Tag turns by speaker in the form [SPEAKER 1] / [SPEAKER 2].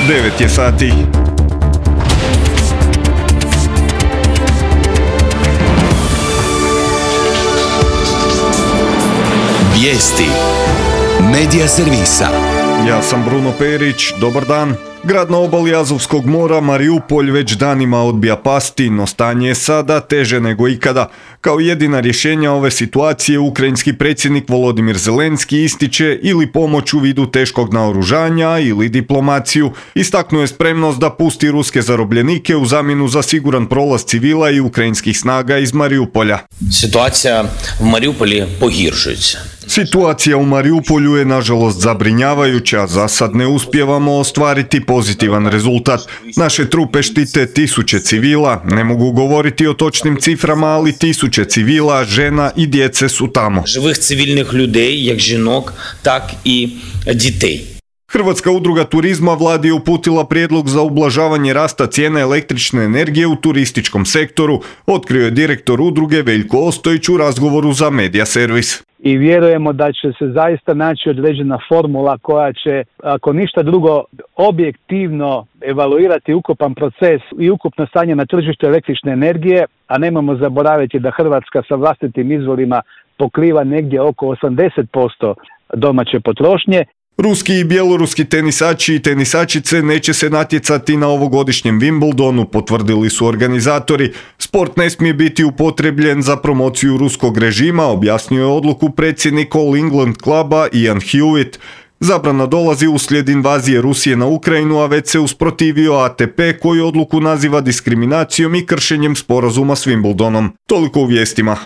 [SPEAKER 1] 9 je sati.
[SPEAKER 2] Vijesti Medija servisa.
[SPEAKER 1] Ja sam Bruno Perić, dobar dan. Grad na obali Azovskog mora, Mariupolj, već danima odbija pasti, no stanje je sada teže nego ikada. Kao jedina rješenja ove situacije, ukrajinski predsjednik Volodimir Zelenski ističe ili pomoć u vidu teškog naoružanja ili diplomaciju. Istaknuo je spremnost da pusti ruske zarobljenike u zamjenu za siguran prolaz civila i ukrajinskih snaga iz Mariupolja.
[SPEAKER 3] Situacija u Mariupolju pogoršuється.
[SPEAKER 1] Situacija u Mariupolju je nažalost zabrinjavajuća, za sad ne uspijevamo ostvariti pozitivan rezultat. Naše trupe štite tisuće civila, ne mogu govoriti o točnim ciframa, ali tisuće civila, žena i djece su tamo.
[SPEAKER 3] Живих цивільних людей, як жінок, так і дітей.
[SPEAKER 1] Hrvatska udruga turizma vladi je uputila prijedlog za ublažavanje rasta cijene električne energije u turističkom sektoru, otkrio je direktor udruge Veljko Ostojić u razgovoru za Medija servis.
[SPEAKER 4] I vjerujemo da će se zaista naći određena formula koja će, ako ništa drugo, objektivno evaluirati ukupan proces i ukupno stanje na tržištu električne energije, a nemojmo zaboraviti da Hrvatska sa vlastitim izvorima pokriva negdje oko 80% domaće potrošnje.
[SPEAKER 1] Ruski i bjeloruski tenisači i tenisačice neće se natjecati na ovogodišnjem Wimbledonu, potvrdili su organizatori. Sport ne smije biti upotrebljen za promociju ruskog režima, objasnio je odluku predsjednik All England kluba Ian Hewitt. Zabrana dolazi uslijed invazije Rusije na Ukrajinu, a već se usprotivio ATP koji odluku naziva diskriminacijom i kršenjem sporazuma s Wimbledonom. Toliko u vijestima.